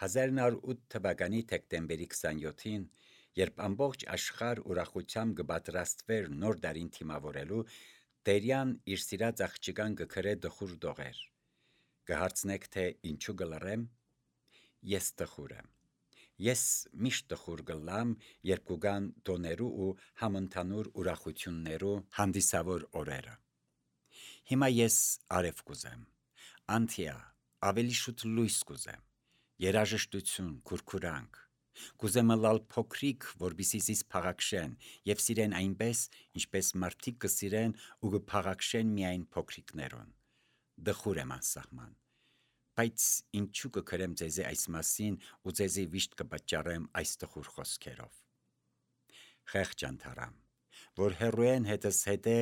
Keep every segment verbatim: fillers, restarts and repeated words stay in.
հազար նոր ութ թվականի դեկտեմբերի քսանյոթին, երբ ամբողջ աշխարհ ուրախությամբ կպատրաստվեր նոր տարին թիմավորելու, Տերյան իր սիրած աղջկան կգրե դխուր դողեր։ Կհարցնեք, թե ինչու կլռեմ։ Ես տխուր եմ։ Ես միշտ տխուր կլամ, երբ կգան տոներու ու համընդհանուր ուրախություններու հանդիսավոր օրերը։ Հիմա ես արև կուզեմ, անթիա, ավելի շուտ լույս կուզեմ, երաժշտություն, քուրքուրանք, կուզեմ լալ փոքրիկ, որպեսզի զիս փաղաքշեն եւ սիրեն այնպես, ինչպես մարդիկ կսիրեն ու կփաղաքշեն միայն փոքրիկներուն։ Դխուր եմ անսահման, բայց ինչու կգրեմ ձեզի այս մասին ու ձեզի վիշտ կպատճառեմ այս տխուր խոսքերով։ Խեղճ անթարամ, որ հեռուեն հետս հետե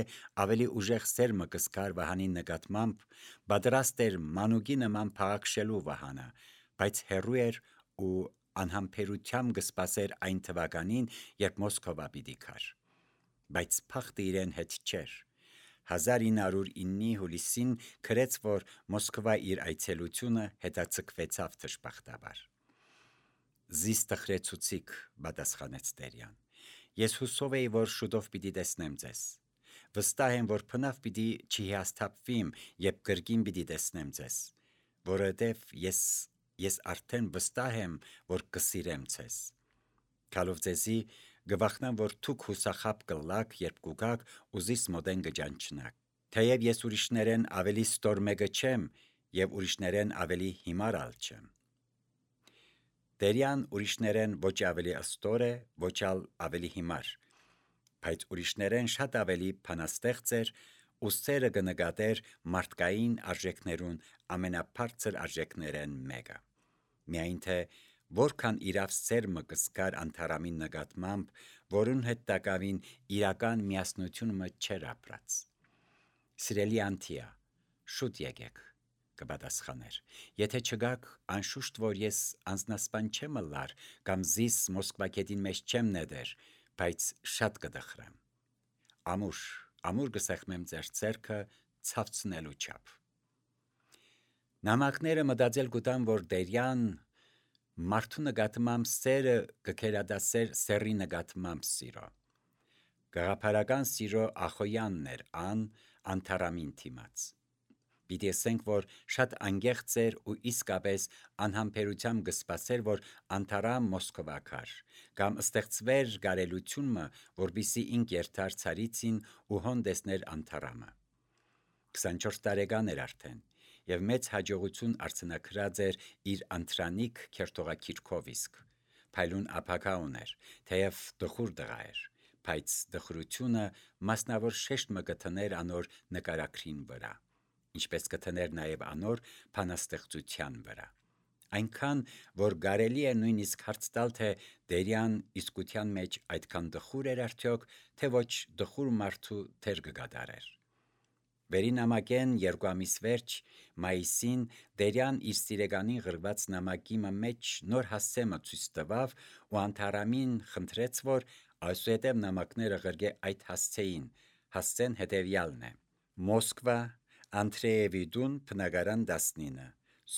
ավելի ուժեղ սերմը կսկար Վահանի նկատմամբ, պատրաստ էր մանուկի նման փաղաքշելու Վահանը, բայց հեռու էր ու անհամբերությամբ կսպասեր այն թվականին, երբ Մոսկովա պիտի գար։ Բայց փախտը իրեն հետ չէր։ հազար ինը հարյուր իննի հուլիսին գրեց, որ Մոսկվա իր այցելությունը հետաձգվեցավ դժբախտաբար։ Զիս տխրեցուցիք, պատասխանեց Տերյան։ Ես հուսով էի, որ շուտով պիտի տեսնեմ ձեզ։ Վստահ եմ, որ բնավ պիտի չհիասթափվիմ, երբ կրկին պիտի տեսնեմ ձեզ, որովհետև ես ես արդեն վստահ եմ, որ կսիրեմ ձեզ։ Քալով ձեզի գվախնամ, որ դուք հուսախապ կլաք, երբ կուգաք ու զիս մոդեն կճանչնաք։ Թեև ես ուրիշներեն ավելի ստոր մեկը չեմ եւ ուրիշներեն ավելի հիմար ալ չեմ։ Տերյան ուրիշներեն ոչ ավելի ստոր է, ոչ ալ ավելի հիմար, բայց ուրիշներեն շատ ավելի բանաստեղծ էր ու սերը կնկատեր մարդկային արժեքներուն ամենաբարձր արժեքներեն մեկը։ Միայն թե որքան իրավ սերմը կսկար անթարամին նկատմամբ, որուն հետ տակավին իրական միասնությունը չէր ապրած։ Սիրելի անթիա, շուտ եկեք, կպատասխաներ։ Եթե չգաք, անշուշտ որ ես անձնասպան չեմ լար կամ զիս Մոսկվա գետին մեջ չեմ նետեր, բայց շատ կդխրեմ։ Ամուր, ամուր կսեղմեմ ձեր ձեռքը ցավցնելու չափ։ Նամակները մտածել կուտան, որ Տերյան մարդու նկատմամբ սերը կքերադասեր սերի նկատմամբ սիրո։ Գաղափարական սիրո ախոյանն էր ան անթարամին թիմաց։ Պիտի ասենք, որ շատ անգեղծ էր ու իսկապես անհամբերությամբ կսպասեր, որ անթարամ Մոսկվա գար, կամ ստեղծվեր գարելությունը, որպիսի ինք երթար ցարիցին ու հոն տեսներ անթարամը։ քսանչորս տարեկան էր արդեն, եւ մեծ հաջողություն արձանագրած էր իր անտրանիկ քերթողակիրքով իսկ, փայլուն ապակա ուներ, թեև դխուր տղա էր, բայց դխրությունը մասնավոր շեշտ մը կթներ անոր նկարագրին վրա, ինչպես կթներ նաև անոր բանաստեղծության վրա։ Այնքան, որ կարելի է նույնիսկ հարց տալ, թե Տերյան իսկության մեջ այդքան դխուր էր արդյոք, թե ոչ դխուր մարդու դեր կգադարեր։ Վերին նամակեն երկու ամիս վերջ, մայիսին, Տերյան իր սիրեգանին գրված նամակի մեջ նոր հասցեմը ցույց տվավ ու անթարամին խնդրեց, որ այսուհետև նամակները գրգե այդ հասցեին, հասցեն հետևյալն է. Մոսկվա, Անդրեևի դուն, բնակարան տասնինը,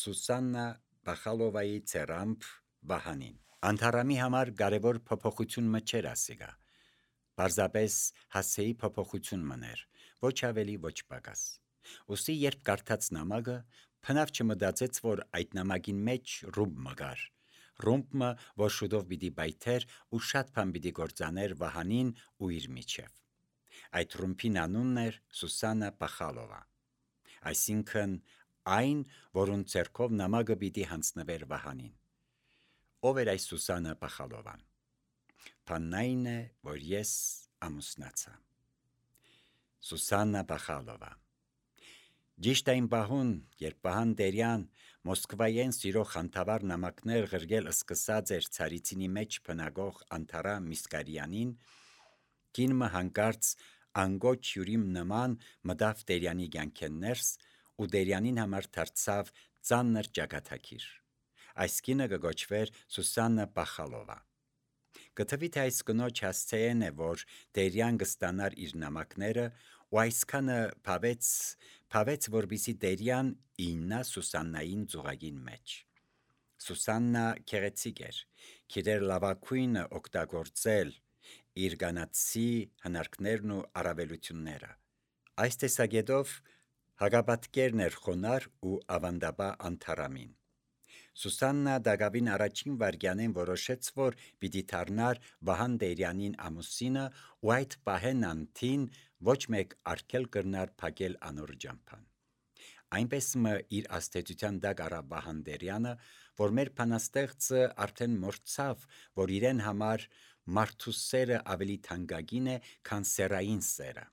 Սուսաննա Բախալովայի ծերամբ Վահանին։ Անթարամի համար կարևոր փոփոխություն մը չէր ասիգա։ Պարզապես հասցեի փոփոխություն մներ, ոչ ավելի, ոչ պակաս։ Ոստի երբ կարդաց նամակը, փնավ չմտածեց, որ այդ նամակին մեջ ռումբ մը կար, ռումբը, որ շուտով պիտի բայթեր ու շատ բան պիտի գործաներ Վահանին ու իր միջև։ Այդ ռումբին անունն էր Սուսաննա Բախալովա, այսինքն այն, որուն ձեռքով նամակը պիտի հանձնվեր Վահանին։ Ով էր այս Սուսաննա Բախալովան։ Բանն այն է, որ ես ամուսնացա։ Սուսաննա Բախալովա։ Ճիշտ այն պահուն, երբ Վահան Տերյան Մոսկվայեն սիրո խանդավառ նամակներ գրգել սկսած էր ցարիցինի մեջ բնագող Անթարամ Միսկարյանին, կինը հանկարծ անգոչ հյուրիմ նման մտավ Տերյանի կյանքեն ներս ու Տերյանին համար դարձավ ծանր ճակատագիր։ Այս կինը կգոչվեր Սուսաննա Բախալովա։ Կթվի թե այս կնոջ հասցեեն է, որ Տերյան կստանար իր նամակները ու այսքանը փավեց, փավեց, որպիսի Տերյան իննա Սուսաննային ծուղակին մեջ։ Սուսաննա քեղեցիկ էր, գիտեր լավագույնը օգտագործել իր գանացի հնարքներն ու առավելությունները։ Այս տեսակետով հագապատկերն էր խոնար ու ավանդաբա անթարամին։ Սուսաննա դակավին առաջին վայրկյանին որոշեց, որ պիտի դառնար Վահան Տերյանին ամուսինը ու այդ պահեն անթին ոչ մեկ արգել կրնար փակել անոր ճամփան։ Այնպես մը իր աստեցության դակ առավ Վահան Տերյանը, որ մեր բանաստեղծը արդեն մորցավ, որ իրեն համար մարդու սերը ավելի թանկագին է, քան սեռային սերը։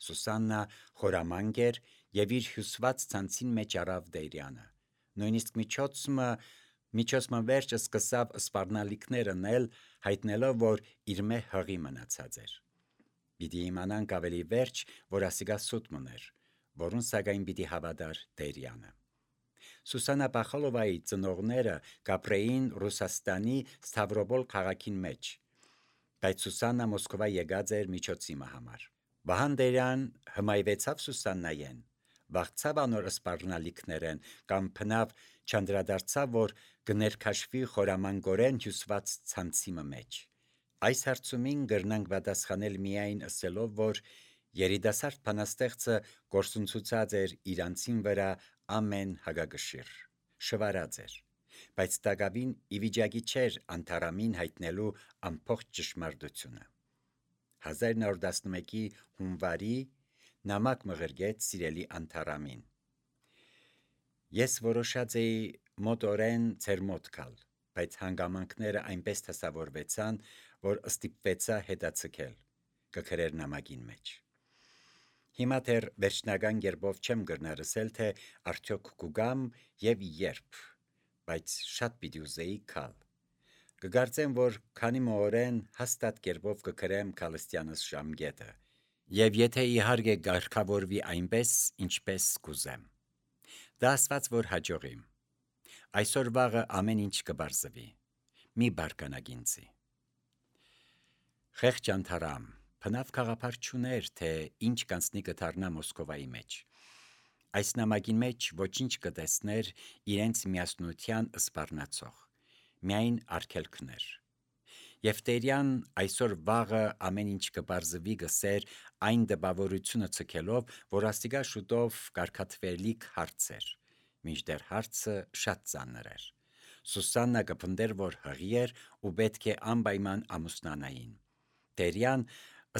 Սուսաննա խորամանկ էր եւ իր հյուսված ցանցին մեջ առավ Տերյանը։ Նույնիսկ միջոցը միջոցը վերջը սկսավ սպառնալիքներ անել, հայտնելով, որ իր մե հղի մնացած էր։ Պիտի իմանանք ավելի վերջ, որ ասիկա սուտ մներ, որուն սակայն պիտի հավատար Տերյանը։ Սուսաննա Բախալովայի ծնողները կապրեին Ռուսաստանի Ստավրոպոլ քաղաքին մեջ, բայց Սուսաննա Մոսկվա եկած էր միջոցի համար։ Վահան Տերյան հմայվեցավ Սուսաննայեն, վախցավ անոր սպառնալիքներեն կամ փնավ չանդրադարձավ, որ կներքաշվի խորամանկորեն հյուսված ցանցի մեջ։ Այս հարցումին կրնանք պատասխանել միայն ասելով, որ երիտասարդ բանաստեղծը գործընծուցած էր իրանցին վրա ամեն հագագշիր, շվարած էր, բայց տակավին ի վիճակի չէր անթարամին հայտնելու ամբողջ ճշմարտությունը։ հազար նոր տասնմեկի հունվարի նամակ մղրգեց սիրելի անթարամին։ Ես որոշած էի մոտորեն ձեր մոտ գալ, բայց հանգամանքները այնպես տեսավորվեցան, որ ստիպվեցա հետաձգել, կգրեր նամակին մեջ։ Հիմա դեռ վերջնական կերպով չեմ կրնար ասել, թե արդյոք կուգամ եւ երբ, բայց շատ պիտի ուզեի գալ։ Կգարծեմ, որ քանի մօրեն հաստատ կերպով կգրեմ Քալստյանս ժամկետը, եւ եթե իհարկե կարգավորվի այնպես, ինչպես կուզեմ։ Դա ասված, որ հաջողիմ։ Այսօր վաղը ամեն ինչ կբարձվի։ Մի բարկանաք ինձի։ Խեղճ անթարամ, բնավ գաղափար չուներ, թե ինչ կանցնի կդառնա Մոսկովայի մեջ։ Այս նամակին մեջ ոչինչ կտեսներ իրենց միասնության սպառնացող, միայն արգելքներ։ Եվ Տերյան այսօր վաղը ամեն ինչ կբարձվի գսեր այն դպավորությունը ցկելով, որ աստիգա շուտով կարգատվելիք հարց էր, մինչդեռ հարցը շատ ծանր էր։ Սուսաննա կփնդեր, որ հղի էր ու պետք է անպայման ամուսնանային։ Տերյան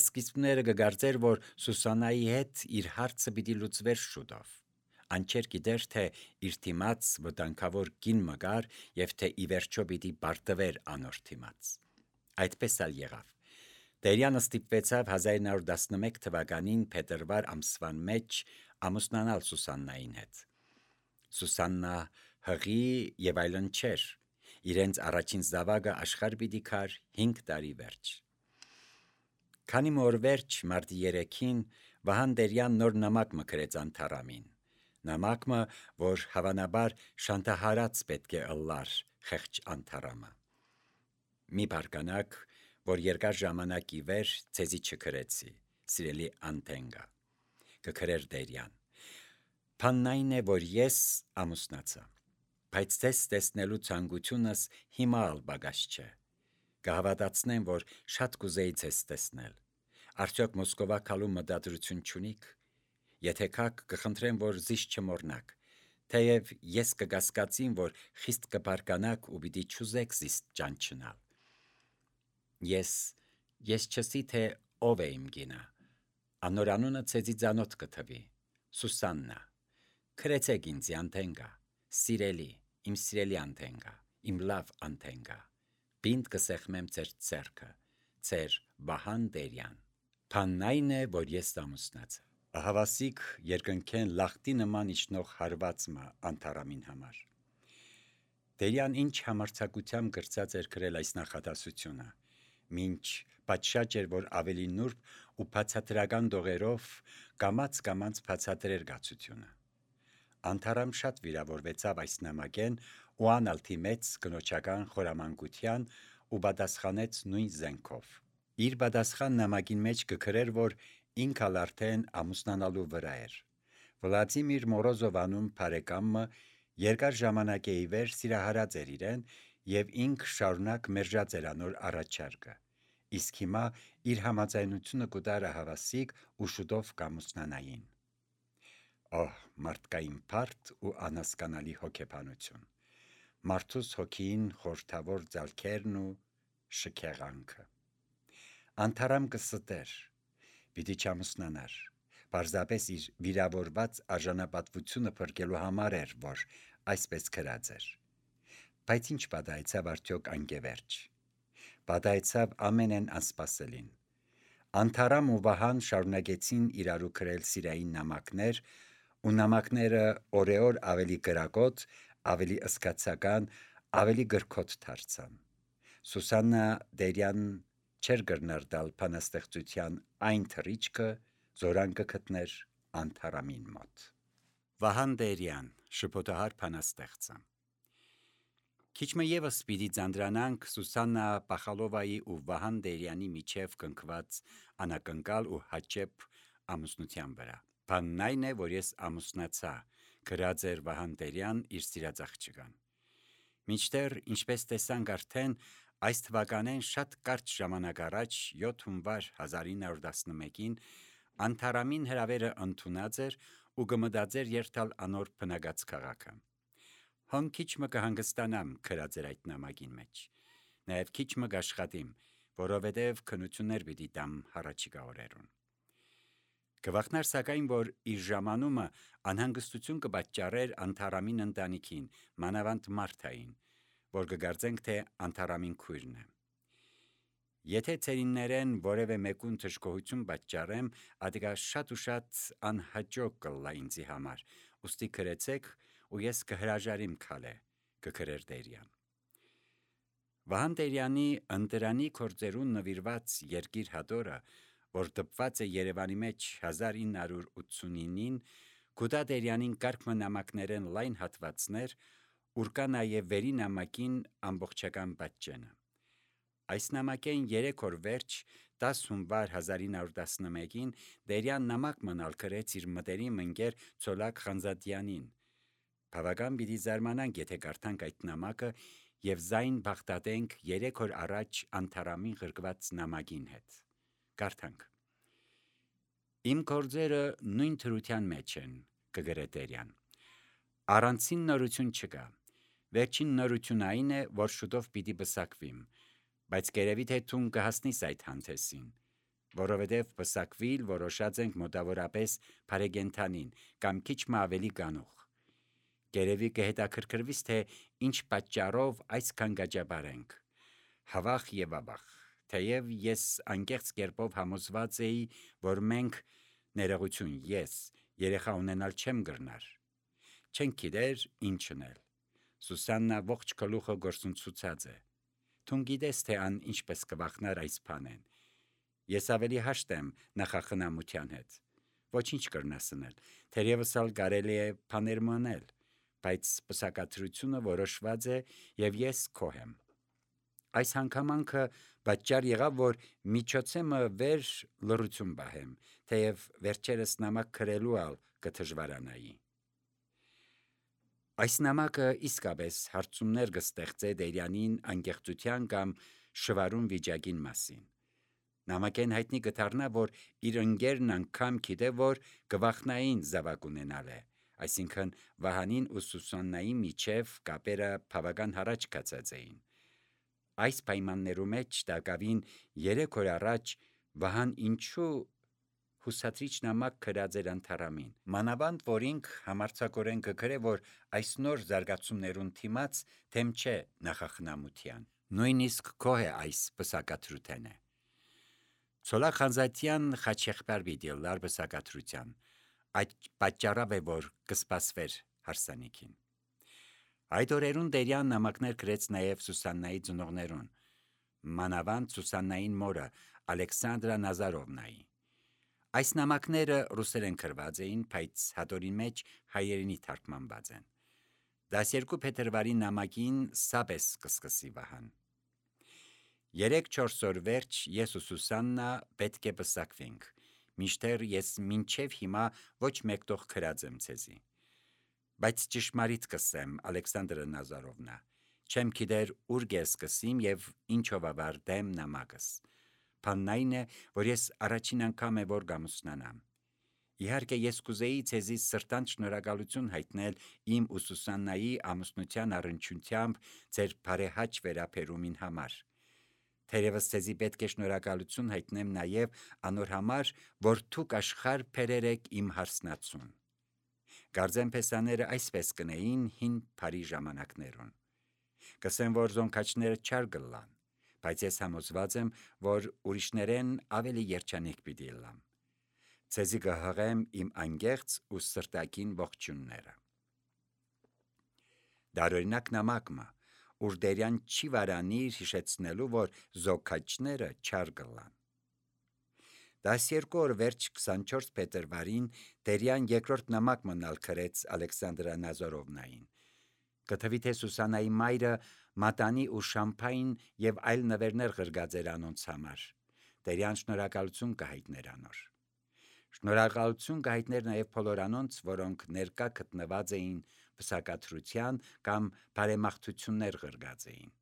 սկիզբները կգարձեր, որ Սուսաննայի հետ իր հարցը պիտի լուծվեր շուտով։ Անչեր գիտեր, թե իր թիմած վտանգավոր կին մգար եւ թե ի վերջո պիտի բարտվեր անոր թիմած։ Այդպես ալ եղավ։ Տերյանը ստիպվեցավ հազար նոր տասնմեկ թվականին փետրվար ամսվան մեջ ամուսնանալ Սուսաննային հետ։ Սուսաննա հղի եւ այլն չէր։ Իրենց առաջին զավակը աշխարհ պիտի գար հինգ տարի վերջ։ Քանի մոր վերջ մարտի երեքին Վահան Տերյան նոր նամակ մկրեց անթարամին։ Նամակը, որ հավանաբար շանտահարած պետք է ըլլար խեղճ անթարամը։ Մի բարկանաք, որ երկար ժամանակի վեր ցեզի չգրեցի, սիրելի անտենգա, կգրեր Տերյան։ Բանն այն է, որ ես ամուսնացա, բայց ձեզ տեսնելու ցանկությունս հիմա ալ բագաշ չէ։ Կհավատացնեմ, որ շատ կուզեի ձեզ տեսնել։ Արդյոք Մոսկովա գալու մտադրություն չունիք։ Եթե կաք, կխնդրեմ, որ զիս չմոռնաք, թեև ես կկասկածեմ, որ խիստ կբարկանաք ու պիտի չուզեք զիս ճանչնալ։ Ես ես չսի թե ով է իմ գինը։ Անոր անունը ցեզի ծանոթ կթվի։ Սուսաննա։ Քրեցեք ինձ անտենգա, սիրելի, իմ սիրելի անտենգա, իմ լավ անտենգա։ Բինտ կսեղմեմ ձեր ձեռքը, ձեր Վահան Տերյան։ Բանն այն է, որ ես ամուսնացա։ Ահավասիկ երկնքեն լախտի նման իջնող հարվածը անթարամին համար։ Տերյան ինչ համարձակությամբ գրծած էր գրել այս նախադասությունը, մինչ պատշաճ էր, որ ավելի նուրբ ու բացատրական դողերով կամաց-կամաց բացատրեր գացությունը։ Անթարամ շատ վիրավորվեցավ այս նամակեն ու անալթի մեծ կնոջական խորամանկության ու պատասխանեց նույն զենքով։ Իր պատասխան նամակին մեջ կգրեր, որ ինքալ արդեն ամուսնանալու վրա էր։ Վլադիմիր Մորոզով անուն բարեկամը Երկար ժամանակ է ի վեր սիրահարած էր իրեն եւ ինք շարունակ մերժած էր անոր առաջարկը։ Իսկ հիմա իր համաձայնությունը կուտարը հավասիկ ու շուտով կամուսնանային։ Օհ, մարդկային փառք ու անհասկանալի հոգեբանություն։ Մարդուս հոգին խորթավոր ձալքերն ու շքեղանքը։ Անթարամ կստեր, պիտի չամուսնանար։ Պարզապես իր վիրավորված արժանապատվությունը փրկելու համար էր, որ այսպես քրած էր։ Բայց ինչ պատահեցավ արդյոք անկևերջ։ Պատահեցավ ամենեն անսպասելին։ Անթարամ ու Վահան շարունակեցին իրարու քրել սիրային նամակներ, ու նամակները օրեօր ավելի գրակոտ, ավելի ըսկացական, ավելի գրքոտ դարձան։ Սուսաննա Դերյան չէր գրնար դալ բանաստեղծության այն թռիչքը, զորան կգտներ Անթարամին մոտ։ Վահան Դերյան, շփոթահար բանաստեղծը։ Քիչմը ևս պիտի ձանդրանանք Սուսաննա Պախալովայի ու Վահան Դերյանի միջև կնքված անակնկալ ու հաճեպ ամուսնության վրա։ Բանն այն է, որ ես ամուսնացա, գրած էր Վահան Դերյան իր սիրած աղջկան։ Մինչդեռ, ինչպես տեսանք արդեն, այս թվականեն շատ կարճ ժամանակ առաջ յոթ հունվար հազար ինը հարյուր տասնմեկին Անթարամին հրավերը ընդունած էր ու կմտածեր երթալ անոր բնագած քաղաքը։ Հոն քիչմը կհանգստանամ գրած էր այդ նամակին մեջ։ Նաև քիչմը կաշխատիմ, որովհետև քնություններ պիտի տամ հառաջիկա օրերուն։ Կվախնար սակայն, որ իր ժամանումը անհանգստություն կպատճառեր Անթարամին ընտանիքին, մանավանդ Մարթային, որ կգարձենք, թե Անթարամին քույրն է։ Եթե ծերիններեն որևէ մեկուն թշկողություն պատճառեմ, ադիգա շատ ու շատ անհաջող կլա ինձի համար, ուստի գրեցեք ու ես կհրաժարիմ քալե, կգրեր Դերյան։ Վահան Դերյանի ընտրանի գործերուն նվիրված երկիր հատորը, որ դպված է Երևանի մեջ հազար ինը հարյուր ութսունինին, կուտա Դերյանին կարգմը նամակներեն լայն հատվածներ, ուր կա նաև վերի նամակին ամբողջական պատճենը։ Այս նամակեն երեք օր վերջ դաս հունվար հազար ինը հարյուր տասնմեկին Դերյան նամակ մնալ գրեց իր մտերիմ ընկեր Ցոլակ Խանձատյանին։ Բավական պիտի զարմանանք, եթե կարդանք այդ նամակը եւ զայն բախտատենք երեք օր առաջ Անթարամին գրկված նամակին հետ։ Կարդանք. Իմ գործերը նույն թրության մեջ են, կգրե Դերյան։ Առանցին նորություն չկա։ Վերջին նորություն այն է, որ շուտով պիտի բսակվիմ, բայց կերևի թե թուն կհասնիս այդ հանդեսին, որովհետև բսակվիլ որոշած ենք մոտավորապես Փարեգենթանին կամ քիչ մը ավելի գանուխ։ Կերևի կհետաքրքրվիս, թե ինչ պատճառով այսքան գաճաբար ենք։ Հավախ եւ ավախ, թեև ես անկեղծ կերպով համոզված էի, որ մենք ներողություն ես երեխա ունենալ չեմ գրնար։ Չենք գիտեր ինչն էլ։ Սուսաննա ողջ գլուխը գործունցուցած է։ Թուն գիտես, թե ան ինչպես կվախնար այս բանեն։ Ես ավելի հաշտ եմ նախախնամության հետ։ Ոչինչ կրնասնել, թերևս ալ կարելի է բաներ մնել, բայց պսակադրությունը որոշված է եւ ես քոհ եմ։ Այս հանգամանքը պատճառ եղավ, որ միջոցեմը վեր լռություն բահեմ, թեև վերջերս նամակ գրելու ալ կդժվարանայի։ Այս նամակը իսկապես հարցումներ կստեղծե Դերյանին անկեղծության կամ շվարուն վիճակին մասին։ Նամակեն հայտնի կդառնա, որ իր ընկերն անգամ գիտե, որ կվախնային զավակ ունենալ է, այսինքն Վահանին ու Սուսաննայի միջև կապերը բավական հառաջ կացած էին։ Այս պայմաններու մեջ տակավին երեք օր առաջ Վահան ինչու հուսադրիչ նամակ գրած էր Անթարամին, մանավանդ որ ինք համարձակորեն կգրե, որ այս նոր զարգացումներուն դիմաց թեմ չէ նախախնամության, նույնիսկ քոհ է այս պսակադրութենը։ Ցոլակ Խանձատյան Խաչեղբար պիտի լար պսակադրության, այդ պատճառավ է, որ կսպասվեր հարսանիքին։ Այդ օրերուն Դերյան նամակներ գրեց նաև Սուսաննայի ծնողներուն, մանավանդ Սուսաննային մորը Ալեքսանդրա Նազարովնայի։ Այս նամակները ռուսերեն գրված էին, բայց հատորին մեջ հայերենի թարգմանված են։ դասերկու փետրվարի նամակին սաբես կսկսի Վահան։ Երեք-չորս օր վերջ ես ու Սուսաննա պետք է պսակվենք, մինչդեռ ես մինչև հիմա ոչ մեկտող գրած եմ ցեզի։ Բայց ճշմարիտ կսեմ, Ալեքսանդրը Նազարովնա, չեմ գիտեր ուր գես կսիմ եւ ինչով ավարտեմ նամակս։ Բանն այն է, որ ես առաջին անգամ է որ գամուսնանամ։ Իհարկե ես կուզեի ցեզի սրտանց շնորհակալություն հայտնել իմ ու Սուսաննայի ամուսնության առնչությամբ ձեր բարեհաճ վերաբերումին համար։ Թերևս ցեզի պետք է շնորհակալություն հայտնեմ նաև անոր համար, որ դուք աշխարհ բերեր եք իմ հարսնացուն։ Գարձեմ փեսաները այսպես կնեին հին բարի ժամանակներուն։ Կսեմ, որ զոնքաչները չար գլան, բայց ես համոզված եմ, որ ուրիշներեն ավելի երջանիկ պիտի լամ։ Ցեզի կհղեմ իմ անգեղծ ու սրտակին ողջունները։ Դարօրինակ նամակը, ուր դերյան չի վարանիր հիշեցնելու, որ զոքաչները չար գլան։ Դասերկոր վերջ քսանչորս փետրվարին դերյան երկրորդ նամակ մնալ քրեց Ալեքսանդրա Նազարովնային։ Կթվի թե Սուսանայի մայրը մատանի ու շամփայն եւ այլ նվերներ ղրգած էր անոնց համար։ Դերյան շնորհակալություն կհայտներ անոր։ Շնորհակալություն կհայտներ նաև բոլոր անոնց, որոնք ներկա գտնված էին վսակադրության կամ բարեմաղթություններ ղրգած էին։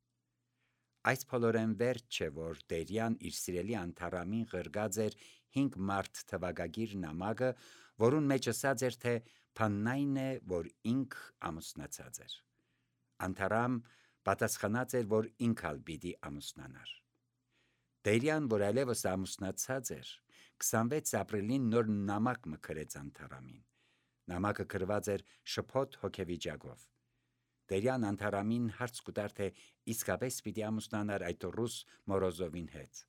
Այս բոլորեն վերջ չէ, որ դերյան իր սիրելի անթարամին ղրգած էր հինգ մարդ թվագագիր նամակը, որուն մեջ ասած էր, թե բանն այն է, որ ինք ամուսնացած էր։ Անթարամ պատասխանած էր, որ ինքալ պիտի ամուսնանար։ Դերյան, որ այլևս ամուսնացած էր, քսանվեց ապրիլին նոր նամակ մկրեց անթարամին։ Նամակը գրված էր շփոթ հոգեվիճակով։ Դերյան անթարամին հարց կուտար, թե իսկապես պիտի ամուսնանար այդ ռուս Մորոզովին հետ։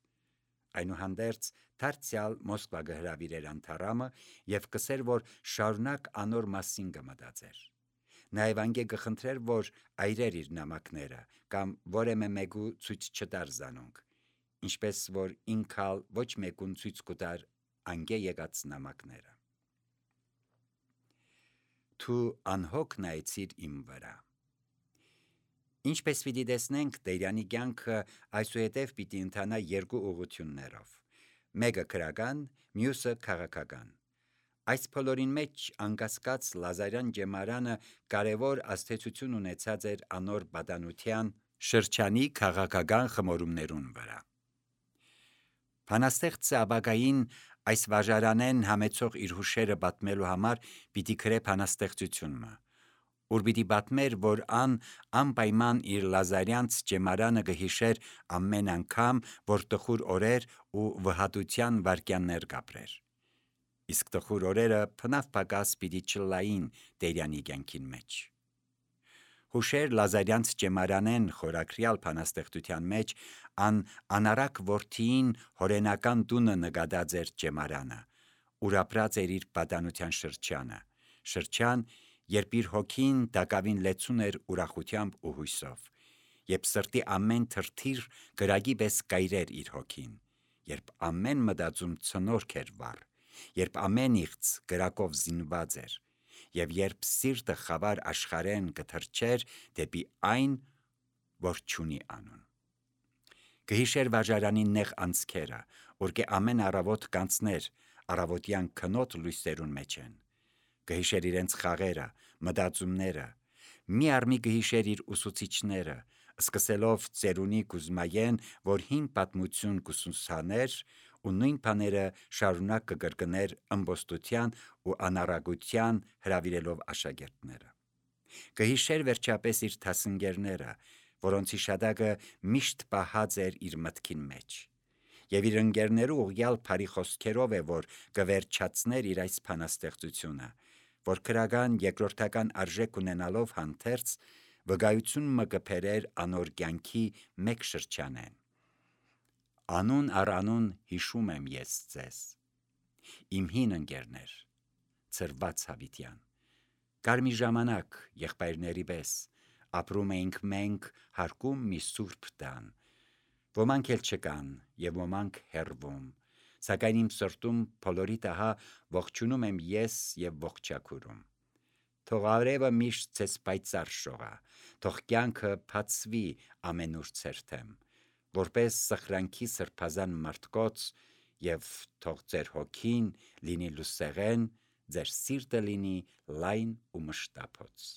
Այնուհանդերձ դարձյալ Մոսկվա գհրավիրեր անթարամը եւ կսեր, որ շարունակ անոր մասին կմտածեր։ Նաեւ անգե կխնդրեր, որ այրեր իր նամակները կամ որեմե մեկու ցույց չտար զանոնք, ինչպես որ ինքալ ոչ մեկուն ցույց կտար անգե եկած նամակները։ Դու անհոգ նայեցիր իմ վրա։ Ինչպես պիտի տեսնենք, Դերյանի կյանքը այսուհետև պիտի ընթանա երկու ուղղություններով։ Մեկը քրական, մյուսը քաղաքական։ Այս բոլորին մեջ անկասկած Լազարյան ջեմարանը կարևոր ազդեցություն ունեցած էր անոր պատանության շրջանի քաղաքական խմորումներուն վրա։ Բանաստեղծը ապագային այս վաժարանեն համեցող իր հուշերը պատմելու համար պիտի գրե բանաստեղծությունը, ուր պիտի պատմեր, որ ան անպայման իր Լազարյանց ջեմարանը կհիշեր ամեն անգամ, որ տխուր օրեր ու վհատության վայրկյաններ կապրեր։ Իսկ տխուր օրերը փնավ պակաս պիտի չլային Դերյանի կյանքին մեջ։ Հուշեր Լազարյանց ջեմարանեն խորակրյալ բանաստեղծության մեջ ան անարակ որդին հորենական տունը նկատած էր ջեմարանը, ուր ապրած էր իր պատանության շրջանը, շրջան, երբ իր հոգին դակավին լեցուն էր ուրախությամբ ու հույսով, երբ սրտի ամեն թրթիր գրագի պես կայրեր իր հոգին, երբ ամեն մտածում ցնորք էր վառ, երբ ամեն իղծ գրակով զինված էր, եւ երբ սիրտը խավար աշխարհեն կթրջեր դեպի այն, որ չունի անուն։ Կհիշեր վաժարանի նեղ անցքերը, որ կե ամեն առավոտ կանցներ, առավոտյան քնոտ լույսերուն մեջ են։ Կհիշեր իրենց խաղերը, մտածումները, մի առմի կհիշեր իր ուսուցիչները, սկսելով ծերունի Կուզմայեն, որ հին պատմություն կուսուսաներ ու նույն բաները շարունակ կկրկներ ըմբոստության ու անառակության հրավիրելով աշակերտները։ Կհիշեր վերջապես իր դասընկերները, որոնց հիշատակը միշտ պահած էր իր մտքին մեջ, եւ իր ընկերներու ուղյալ բարի խոսքերով է, որ կվերջացներ իր այս բանաստեղծությունը, որ քրական երկրորդական արժեք ունենալով հանդերձ վկայություն մը կբերեր անոր կյանքի մեկ շրջանեն։ Անուն առ անուն հիշում եմ ես ձեզ, իմ հին ընկերներ, ծրված Հավիտյան, կար մի ժամանակ եղբայրների պես, ապրում էինք մենք հարկում մի սուրբ տան, ոմանք էլ չկան եւ ոմանք հեռվում, սակայն իմ սրտում բոլորի տահա ողջունում եմ ես եւ ողջակուրում։ Թող արևը միշտ ձեզ պայծառ շողա, թող կյանքը բացվի ամենուր ցերթեմ, որպես սխրանքի սրբազան մարդկոց, եւ թող ձեր հոգին լինի լուսեղեն ձեր սիրտը լինի լայն ու մշտափոց։